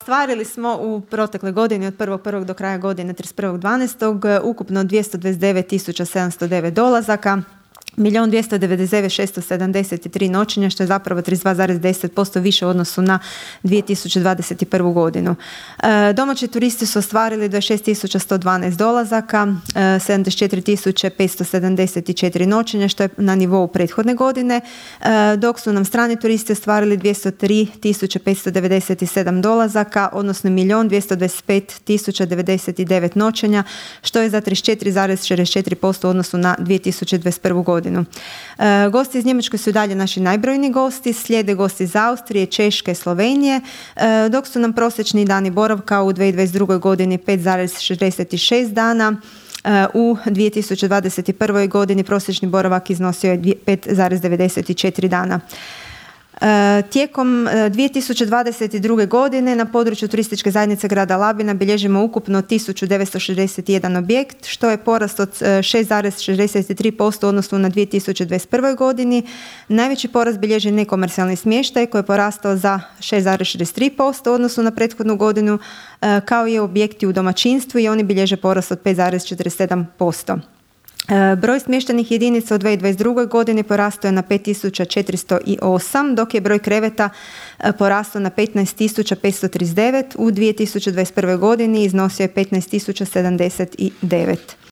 ostvarili smo u protekle godine od 1.1. do kraja godine 31.12. ukupno 229.709 dolazaka, 1.299.673 noćenja, što je zapravo 32,10% više u odnosu na 2021. godinu. Domaći turisti su ostvarili 26.112 dolazaka, 74.574 noćenja, što je na nivou prethodne godine, dok su nam strani turisti ostvarili 203.597 dolazaka, odnosno 1.225.099 noćenja, što je za 34,64% u odnosu na 2021. godinu. Gosti iz Njemačke su dalje naši najbrojniji gosti, slijede gosti iz Austrije, Češke, Slovenije, dok su nam prosječni dani boravka u 2022. godini 5,66 dana. U 2021. godini prosječni boravak iznosio je 5,94 dana. Tijekom 2022. godine na području turističke zajednice grada Labina bilježimo ukupno 1961 objekt, što je porast od 6,63% u odnosu na 2021. godini. Najveći porast bilježi nekomercijalni smještaj koji je porastao za 6,63% u odnosu na prethodnu godinu, kao i objekti u domaćinstvu i oni bilježe porast od 5,47%. Broj smještajnih jedinica u 2022. godini porastao je na 5.408, dok je broj kreveta porastao na 15.539. U 2021. godini iznosio je 15.079.